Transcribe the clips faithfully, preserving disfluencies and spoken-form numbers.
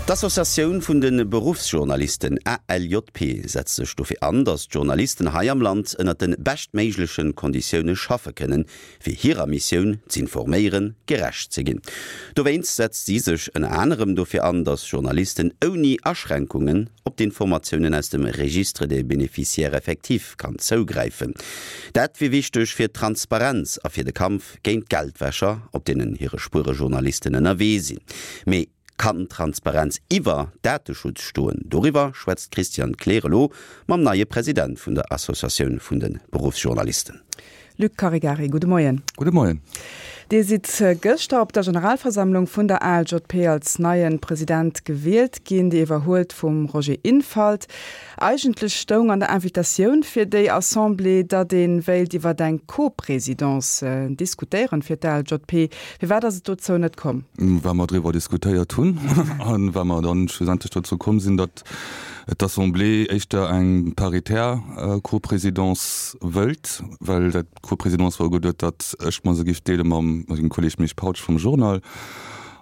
D'Associatioun vun de Beruffsjournalisten, ALJP, setzt sech dofir an, datt d'Journalisten hei am Land ënnert de beschtméigleche Konditioune schaffe kënnen, fir hirer Missioun, z'informéieren, gerecht ze ginn. Dowéinst setzt si sech ënner anerem dofir an, datt Journalisten ouni Aschränkungen op d'Informatiounen aus dem Registre des bénéficiaires effectifs kann zougräifen. Dat wier wichteg fir d'Transparenz a fir de Kampf géint d'Geldwäscher, op deenen hire Spuere Journalisten ënnerwee sinn. Mee kann Transparenz iwwer Dateschutz stoen? Doriwwer schwätzt d'Christiane Kleer elo mam neie President vun der Associatioun vun de Beruffsjournalisten. Luc Caregari, gudde Moien. Gudde Moien. Dir sidd gëschter op der Generalversammlung vun der ALJP als neie President gewielt ginn. Dir iwwerhuelt vum Roger Infalt. Eigentlech stoung an der Invitatioun fir déi Assemblée, datt ee wéilt iwwer eng Co-Présidence diskutéieren fir d'ALJP. Firwat ass et dozou net komm? Well mer driwwer diskutéiert hunn an well mer dann schlussendlech dozou komm sinn, datt d'Assemblée éischter eng paritär Co-Présidence wëllt, well dat d'Co-Présidence war ugeduet, datt ech mer se géif deele mam mengem Kolleg Misch Pautsch vum Journal.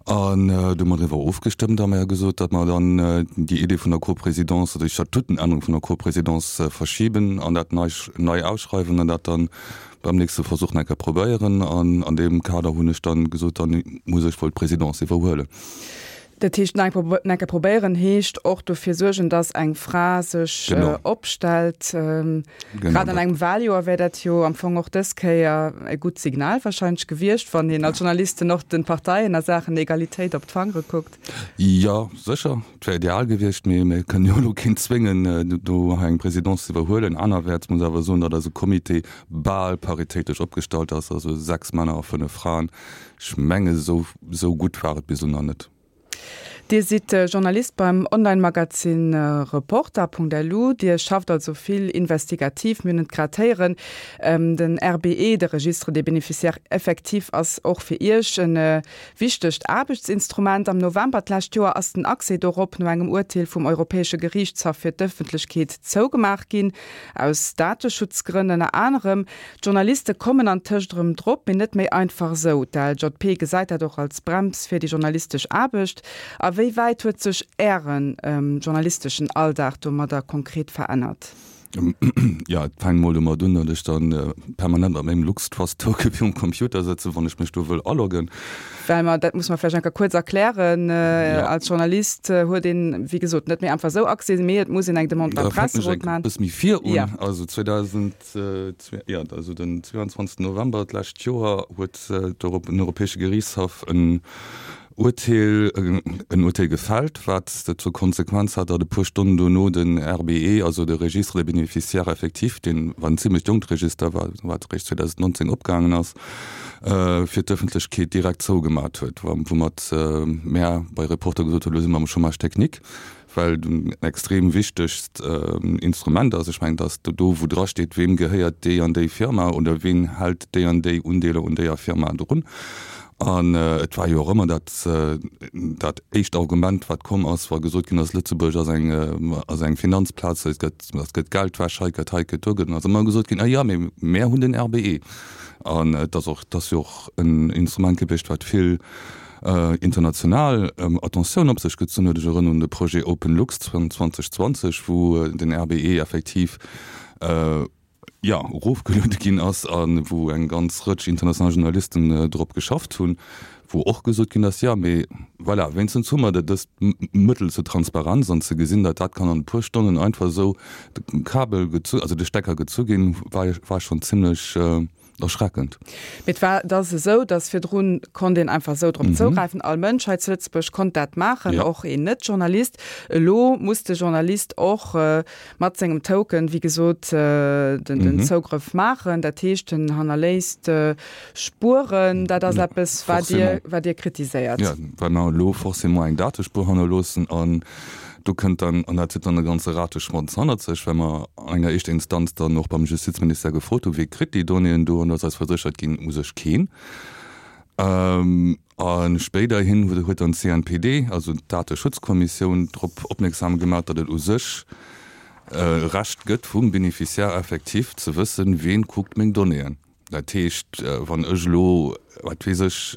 An do hu mer driwwer ofgestëmmt a mer hu gesot, datt mer dann déi Idee vun der Co-Présidence oder déi Statutenännerung vun der Co-Présidence verschiben an dat nei nei ausschreiwen an dat dann beim nächste Versuch nach eng Kéier probéieren. An an deem Kader hunn ech dann gesot, dann muss ech wuel d'Présidence iwwerhuelen. Dat heescht, nach eng Kéier probéieren heescht och dofir suergen, datt eng Fra sech opstellt. Grad an engem Wahljoer wär dat jo am Fong och dës Kéier e gutt Signal wahrscheinlech gewiescht, wann een als Journalisten och de Parteien a Saachen Egalitéit op d'Fangere kuckt. Jo, sécher, et wär ideal gewiescht, mee mir kënnen jo elo keen zwéngen, do hei eng Présidence ze iwwerhuelen. Anerwäerts muss awer soen, datt eise Comité bal paritéitesch opgestallt ass, also sechs Männer a fënnef Fraen. Ech menge esou gutt war et bis elo nach net. Dir sidd Journalist beim Online-Magazin Reporter.lu. Dir schafft also vill investigativ, mir hunn et grad héieren. Den RBE, de Registre des bénéficiaires effectifs, ass och fir Iech e wichtegt Aarbechtsinstrument. Am November d'lescht Joer ass den Accès dorop no engem Urteel vum Europäesche Geriichtshaff fir d'Ëffentlechkeet zougemaach ginn, aus Dateschutzgrënn ënner anerem. D'Journaliste kommen antëscht erëm drop, mee net méi einfach esou. D'ALJP gesäit dat och als Brems fir déi journalistesch Aarbecht. A wéi wäit huet sech Ären journalisteschen Alldag domadder konkret verännert? Jo, et fänkt mol domat un, datt ech da permanent mat mengem LuxTrust-Token virum Computer sëtzen, wann ech mech do wëll aloggen. Well mer, dat muss mer vläicht eng Kéier kuerz erklären, als Journalist huet een, wéi gesot, net méi einfach esou Accès, mee et muss een eng Demande beim Presserot maachen. Da fänken ech e bësse méi vir un. Also zweedausend, jo, also den zweeanzwanzegsten November d'lescht Joer huet den Europäesche Geriichtshaff en Urteel, en Urteel gefällt, wat zur Konsequenz hat, datt e puer Stonnen dono den R B E, also de Registre des bénéficiaires effectifs, deen war en zimlech jonkt Register, wat eréischt zweedausendnonzéng opgaangen ass, fir d'Ëffentlechkeet direkt zougemat huet, woumat mär bei Reporter gesot hunn, elo si mer am Chômage technique, well et en extrem wichtegt Instrument ass. Ech mengen, et ass do, wou drasteet, weem gehéiert déi an déi Firma oder ween hält déi an déi Undeeler un déier Firma drun. An et war jo och ëmmer dat, dat éischt Argument, wat komm ass, wa gesot ginn ass, Lëtzebuerg ass eng, ass eng Finanzplaz, et gëtt, et gëtt Geldwäsch hei, gëtt hei, gëtt do, gëtt. An ass ëmmer gesot ginn, ah jo, mee mär hunn den R B E. An et ass och, et ass jo och en Instrument gewiescht, wat vill international Attentioun op sech gezunn huet. Ech erënneren un de Projet OpenLux zweetausendzwanzeg, wou den R B E effektiv, jo, erofgeluede ginn ass a wou eng ganz Rëtsch international Journalisten drop geschafft hunn, wou och gesot ginn ass, jo, mee voilà, wéinstens hu mer dëst Mëttel zur Transparenz an ze gesinn, datt dat kann an e puer Stonnen einfach esou de Kabel gezu, also de Stecker gezu ginn, war war schonn zimlech erschreckend. Mee et war, et ass esou, datt virdrun konnt een einfach esou drop zougräifen, all Mënsch hei zu Lëtzebuerg konnt dat maachen, och een Net-Journalist. Elo muss de Journalist och mat sengem Token, wéi gesot, den Zougrëff maachen. Dat heescht, en hannerléisst Spueren. Dat ass eppes, wat Dir, wat Dir kritiséiert. Jo, well mer elo forcément eng Datespuer hannerloossen an do kënnt dann, an dat zitt dann e ganze Rateschwanz hannert sech, well mer an enger éischter Instanz dann och beim Justizministère gefrot hu, Wie kritt déi Donnéeën do? An do ass eis verséchert ginn, u sech keen. A spéiderhin huet dann d'C N P D, also d'Dateschutzkommissioun, drop opmierksam gemaach, datt et u sech e Recht gëtt vum Bénéficiaire effectif ze wëssen, wien kuckt meng Donnéeën. Dat heescht, wann ech elo, wat weess ech,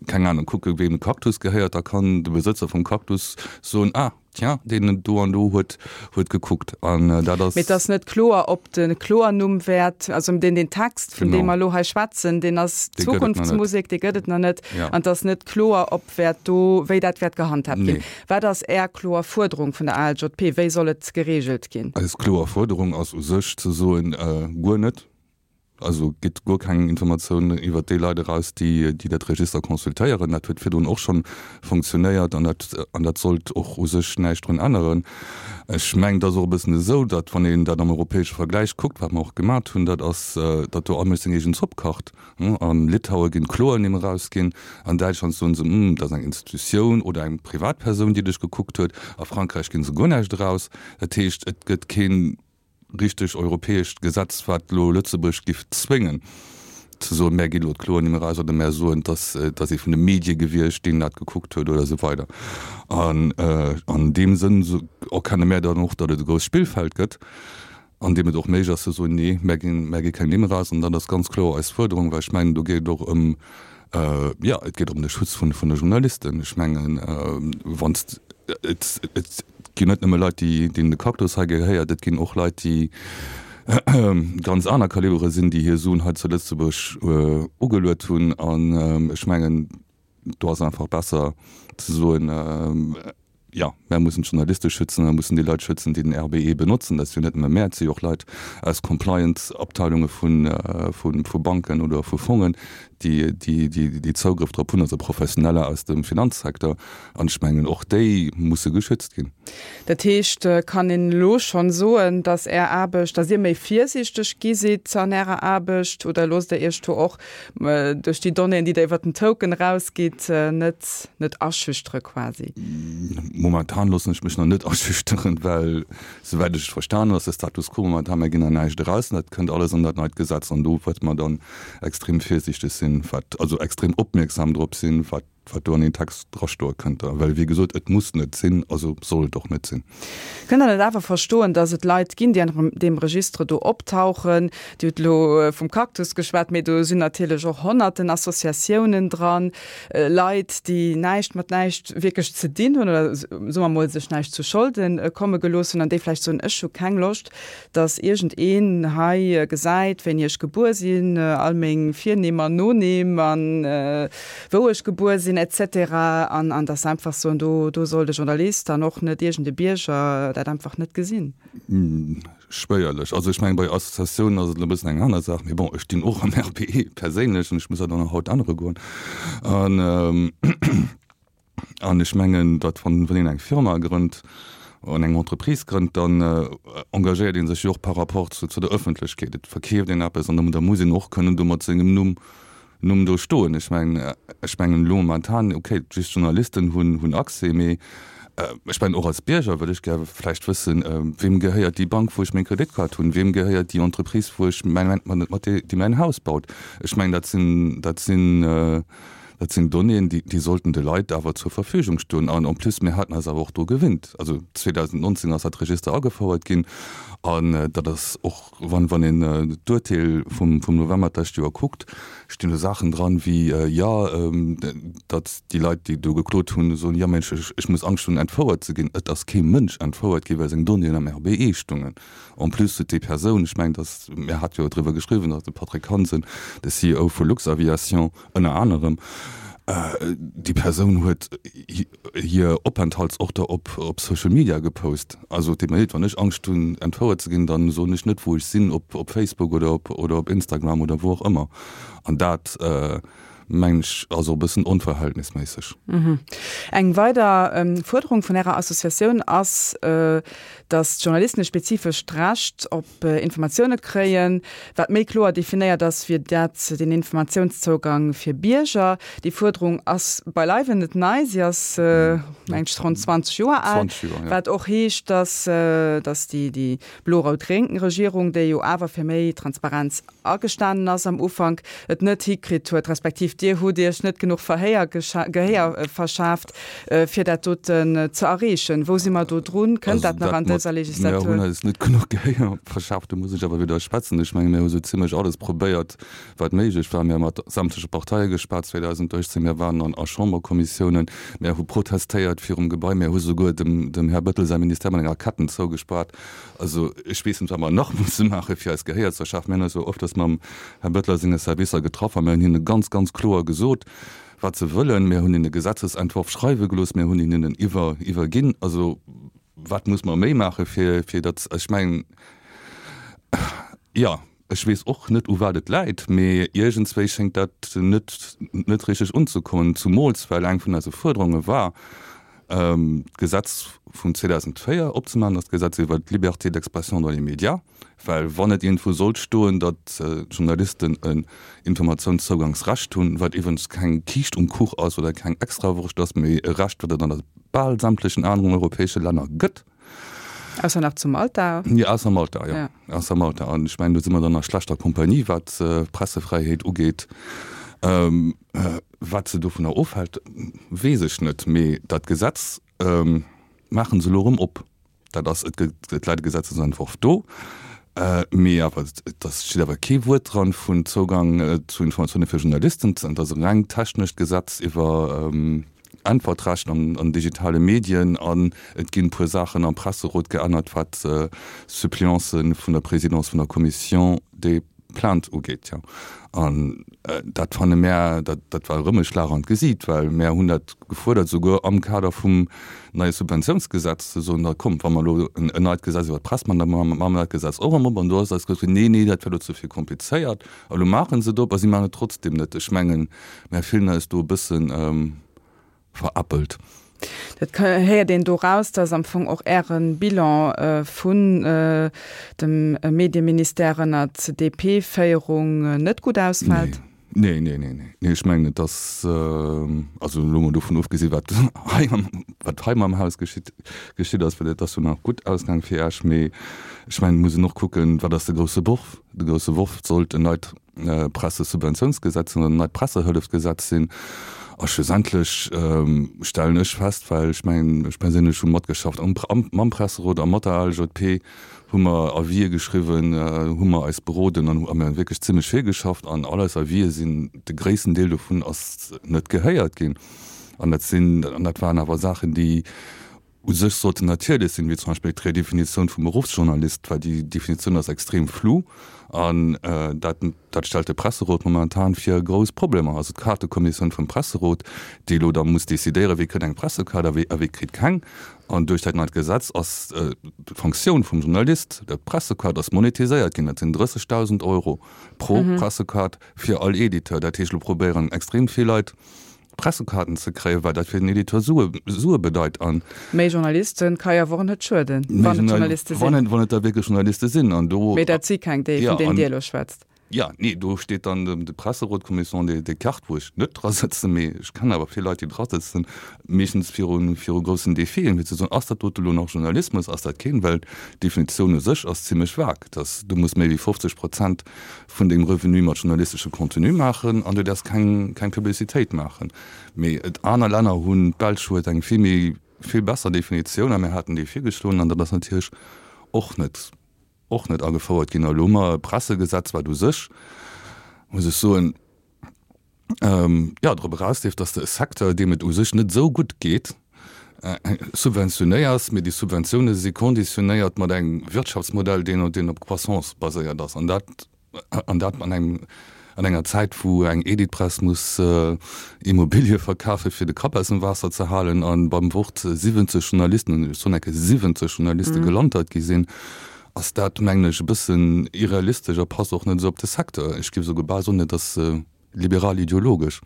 keng keng Ahnung, kucke weem de Cactus gehéiert, da kann de Besëtzer vum Cactus soen, ah, tiens, deen do an do huet, huet gekuckt. An dat ass. Mee et ass net kloer, ob de Kloernumm wäert, also deen, deen Text, vun deem mer elo hei schwätzen, deen ass Zukunftsmusek, dee gëtt et nach net. An et ass net kloer, ob wäert do, wéi dat wäert gehandhaabt ginn. Wat ass Är kloer Fuerderung vun der A L J P? Wéi soll et geregelt ginn? Eis kloer Fuerderung ass u sech ze soen, guer net. Also gitt guer keng Informatioun iwwert déi Leit eraus, déi déi dat Register consultéieren. Dat huet virdrun och schonn funktionéiert an dat an dat sollt och u sech näischt drun änneren. Ech mengen, et ass och e bëssen esou, datt, wann een dat am europäesche Vergläich kuckt, wat mer och gemat hunn, dat ass, datt do all Mënsch seng eegen Zopp kacht. A Litaue ginn d'Kloernimm erausginn, an Däitschland soen se, Hm, dat ass eng Institutioun oder eng Privatpersoun, déi dech gekuckt huet. A Frankräich ginn se guer näischt eraus. Dat heescht, et gëtt keen richteg europäescht Gesetz, wat elo Lëtzebuerg giff zwéngen, ze soen, mär ginn elo d'Kloernimm eraus oder mär soen, dass dass ee vun de Medie gewiescht, deen dat gekuckt huet oder esou weider. An an deem Sënn erkenne mär dann och, datt et e grousst Spillfeld gëtt, an deem et och méiglech ass ze soen, nee, mär ginn, mär gi keng Nimm eraus. An dat ass ganz kloer eis Fuerderung, well ech mengen, do geet et och ëm, jo, et geet ëm de Schutz vun vun de Journalisten. Ech mengen, wann s et et ginn net nëmme Leit, déi deenen de Cactus hei gehéiert, et ginn och Leit, déi ganz aner Kalibere sinn, déi hir Suen hei zu Lëtzebuerg ugeluet hunn. An ech mengen, do ass einfach besser ze soen, jo, mär mussen d'Journaliste schützen, mär mussen déi Leit schützen, déi den R B E benotzen. Dat si jo net nëmme mär, et si jo och Leit aus Compliance-Abteilunge vu Banken oder vu Fongen, déi déi Zougrëff drop hunn, also Professioneller aus dem Finanzsecteur. An ech mengen, och déi musse geschützt ginn. Dat heescht, kann een elo schonn soen, datt Är Aarbecht, datt Dir méi virsiichteg gi sidd an Ärer Aarbecht oder loosst Der Iech do och duerch déi Donnéeën, déi Der iwwert den Token erausgitt, net net aschüchtere quasi? Momentan loossen ech mech nach net aschüchteren, well souwäit ech et verstan hunn, ass de Status quo momentan, mir ginn nach näischt eraus an dat kënnt alles an dat neit Gesetz an do wäerte mer dann extrem virsiichteg sinn, wat, also extrem opmierksam drop sinn, wat wat do an deen Text drastoe kënnt. Well wéi gesot, et muss net sinn, also soll et och net sinn. Kënnt Der net awer verstoen, datt et Leit ginn, déi an deem Registre do optauchen? Dir hutt elo vum Cactus geschwat, mee do sinn natierlech och honnerten Associatiounen dran, Leit, déi näischt mat näischt wierklech ze dinn hunn oder, soe mer emol, sech näischt zu Scholde komme gelooss hunn an déi vläicht soen, Ech hu keng Loscht, datt iergendeen hei gesäit, wéini ech gebuer sinn, all meng Virnimm an Nonimm an wou ech gebuer sinn et cetera an an dass se einfach soen, do do soll de Journalist an och net iergend e Bierger dat einfach net gesinn. Schwéierlech. Also ech mengen, bei Associatiounen ass et elo e bëssen eng aner Saach, mee bon, ech stinn och am R B E perséinlech an ech muss dat och nach haut ännere goen. An an ech mengen, datt wann wann een eng Firma grënnt an eng Entreprise grënnt, dann engagéiert ee sech jo och par rapport zu zu der Ëffentlechkeet. Et verkeeft een eppes an da muss een och kënnen do mat sengem Numm Numm do stoen. Ech mengen, ech mengen elo momentan, okay, just Journalisten hunn hunn Accès, mee ech mengen och als Bierger wëll ech gär vläicht wëssen, weem gehéiert déi Bank, wou ech meng Kreditkaart hunn, weem gehéiert déi Entreprise, wou ech mäin, mat déi déi mäin Haus baut. Ech mengen, dat sinn, dat sinn, dat sinn Donnéeën, déi déi sollten de Leit awer zur Verfügung stoen. An en plus, mir haten eis awer och dru gewinnt. Also zweedausendnonzéng ass dat Register agefouert ginn an dat ass och, wann wann een d'Urteel vum vum November d'lescht Joer kuckt, stinn do Saachen dran wéi, jo, datt déi Leit, déi do geklot hunn, soen, jo Mensch, ech ech muss Angscht hunn entfouert ze ginn. Et ass kee Mënsch entfouert ginn, well seng Donnéeën am R B E stungen. En plus huet déi Persoun, ech mengen, datt, mir hate jo driwwer geschriwwen, datt de Patrick Hansen, de C E O vu Luxaviation ënner anerem, déi Persoun huet hir Openthaltsorter op op Social Media gepost. Also et deet mer leed, wann ech Angscht hunn entfouert ze ginn, dann soen ech net wou ech sinn op op Facebook oder op oder op Instagram oder wou och ëmmer. An dat mengen ech ass och e bëssen onverhältnisméisseg. Eng weider Fuerderung vun Ärer Associatioun ass, datt d'Journalisten e spezifescht Recht op Informatioune kréien, wat méi kloer definéiert ass wéi dat den Informatiounszougang fir Bierger. Déi Fuerderung ass beileiwen net nei, si ass mengen ech ronn zwanzeg Joer al, wat och heescht, datt datt déi déi blo-rout-gréng Regierung, déi jo awer fir méi Transparenz agestanen ass am Ufank, et net hikritt huet, respektiv Respektiv Dir hutt Iech net genuch Verhéier Gehéier verschaaft, fir dat doten ze erreechen. Wou si mer do drun? Kënnt dat nach an dëser Legislatur? Mir hunn eis net genuch Gehéier verschaaft, do muss ech awer widderschwätzen. Ech menge mir hu sou zimlech alles probéiert, wat méiglech war. Mir hu mat sämtleche Parteie geschwat zweedausenduechtzéng, mir waren an a Chamberkommissiounen, mir hu protestéiert virum Gebai, mir hu souguer dem dem Här Bettel säi Ministère mat enger Ketten zougespaart. Also ech weess net, wat mer nach musse maache fir eis Gehéier ze verschafen. Mir hunn eis jo öfters mam Här Bettel a senge Servicer getraff a mir hunn hinne ganz, ganz kloer gesot, wat se wëllen. Mir hunn hinne Gesetzesentworf schreiwe gelooss, mir hunn hinnen en iwwer iwwerginn. Also wat muss mer méi maache fir fir datt, ech mengen, jo, ech weess och net u wat et läit, mee iergendswéi schéngt dat net net richteg unzekommen, zumools well eng vun eise Fuerderunge war, d'Gesetz vun zweedausendvéier opzemaachen, dat Gesetz iwwert d'Liberté d'expression dans les médias, well wann et iergendwou sollt stoen, datt d'Journalisten en Informatiounszougangsrecht hunn, wat iwwregens keng Kiischt um Kuch ass oder keng Extrawurscht ass, mee e Recht, wat et an bal sämtlechen aneren europäesche Länner gëtt. Ausser nach zu Malta. Jo, ausser Malta, jo. Ausser Malta. An ech mengen, do si mer dann a schlechter Kompanie, wat d'Pressefräiheet ugeet. Wat se dovunner ofhält, weess ech net. Mee dat Gesetz maache se elo erëm op. Dat ass, et gëtt, et läit e Gesetzesentworf do, mee awer et ass, steet awer kee Wuert dran vun Zougang zu Informatioune fir Journalisten. Et ass e reng technescht Gesetz iwwer Äntwertrecht an an digitale Medien an et ginn e puer Saachen am Presserot geännert, wat Suppléancë vun der Présidence vun der Commission des Plaintes ugeet. Jo, an dat fanne mär, dat dat war erëm e Schlag an d'Gesiit, well mär hunn dat gefuerdert, souguer am Kader vum neie Subventiounsgesetz, ze soen, da kommt, wa mer elo en neit Gesetz iwwer d'Press maachen, da maache mer dat Gesetz och erëm op. An do ass eis gesot ginn, nee, nee, dat wär elo ze vill komplizéiert. A lo maache se et op a si maachen et trotzdem net. Ech mengen, mär fillen eis do e bëssen veräppelt. Dat héiert een do raus, dass am Fong och Äre Bilan vun dem Medieministère ënnert D P-Féierung net gutt ausfält. Nee, nee, nee, nee, nee. Ech mengen, et ass, also elo mol dovun ofgesi wat hei am, wat hei mam Haus geschitt, geschitt ass, well et ass jo nach gutt ausgaang fir Esch, mee ech mengen, et muss een och kucken, wat ass de grousse Worf? De grousse Worf sollt en neit Pressesubventiounsgesetz sinn oder en neit Pressehëllefsgesetz sinn. A schlussendlech stellen ech fest, well ech mengen, ech perséinlech hu matgeschafft am, am, mam Presserot a mat der A L J P, hu mer Avisë geschriwwen, hu mer eis beroden an hu mer wierklech zimlech vill geschafft an all eis Avisë sinn, de gréissten Deel dovun ass net gehéiert ginn. An dat sinn, an dat waren awer Saachen, déi u sech sollten natierlech sinn, wéi zum Beispill d'Redefinitioun vum Beruffsjournalist, well déi Definitioun ass extrem flou an dat dat stellt de Presserot momentan vir grouss Problemer. Also d'Kaartekommissioun vum Presserot, déi elo da muss decidéieren, wie kritt eng Pressekaart a wie a wie kritt keng. An duerch dat neit Gesetz ass d'Fonctioun vum Journalist, der Pressekaart ass monetiséiert ginn. Dat sinn drëssegdausend Euro pro Pressekaart fir all Editeur. Dat heescht, elo probéieren extrem vill Leit, Pressekaarten ze kréien, well dat fir den Editeur Sue Sue bedeit an. Méi Journalisten ka jo awer och net schueden, wann et Journaliste sinn. Wann et wann et da wierklech Journaliste sinn an do. Mee dat si keng, déi vun deenen Dir elo schwätzt. Jo, nee, do steet dann de Presserot, d'Commission des des Cartes, wou ech net dra sëtzen, mee ech kennen awer vill Leit, déi dra sëtzen, meeschtens viru viru groussen Defien, fir ze soen, ass dat dote elo nach Journalismus, ass dat keen, well d'Definitioun u sech ass zimlech vague, dass du muss méi wéi fofzeg Prozent vun dengem Revenu mat journalistesche Contenu maachen an du däerfs keng keng Publicitéit maachen. Mee et aner Länner hunn, d'Belsch huet eng vill méi vill besser Definitioun a mir haten déi virgeschloen an dat ass natierlech och net och net agefouert ginn. A lo hu mer e Pressegesetz, wat u sech, muss ech soen, jo, drop erausleeft, dass de e Secteur, deem et u sech net esou gutt geet, subventionéiers, mee déi Subventioune si konditionéiert mat engem Wirtschaftsmodell, deen deen op Croissance baséiert ass, an dat an dat an engem an enger Zäit, wou eng Editpress muss Immobilie verkafe fir de Kapp aus dem Waasser ze halen, a beim Wort siwwenzeg Journalisten, ech soen eng Kéier siwwenzeg Journaliste gelantert gi sinn, ass dat, mengen ech, e bëssen irrealistesch a passt och net esou op de Secteur. Ech géif esouguer bal soen, et ass liberal-ideologesch.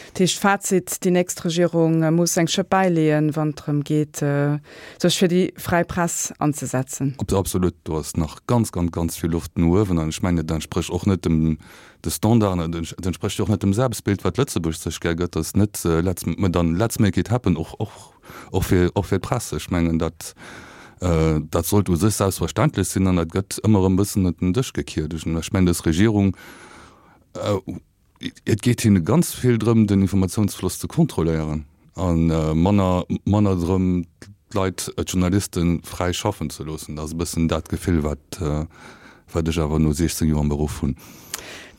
Dat heescht, Fazit, déi nächst Regierung muss eng Schëpp bäileeën, wann et drëm geet, sech fir déi fräi Press anzesetzen. Absolut, do ass nach ganz, ganz, ganz vill Loft no uewen. An ech mengen, et entsprécht och net dem de Standarden, et entsprécht jo och net dem Selbstbild, wat Lëtzebuerg sech gär gëtt, dass net let's, mä dann let's make it happen och, och, och fir, och fir d'Press. Ech mengen, dat, dat sollt u sech selbstverständlech sinn an dat gëtt ëmmer erëm e bëssen ënner den Dësch gekiert. Ech mengen, dës Regierung Et geet hinne ganz vill drëm, den Informatiounsfloss ze kontrolléieren a manner manner drëm, d'Leit, d'Journalisten, fräi schaffen ze loossen. Dat ass e bëssen dat Gefill, wat wat ech awer no siechzéng Joer am Beruff hunn.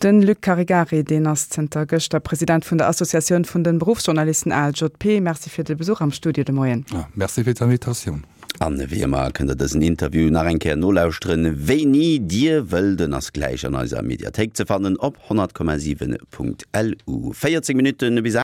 De Luc Caregari, deen ass zënter gëschter President vun der Associatioun vun de Beruffsjournalisten, A L J P. Merci fir de Besuch am Studio de Moien. Merci fir d'Invitatioun. An wéi ëmmer kënnt der dësen Interview nach eng Kéier nolauschteren, wéini dir wëllt. En ass gläich an eiser Mediathéik ze fannen op honnert Komma siwen Punkt L U. véierzéng Minutten bis.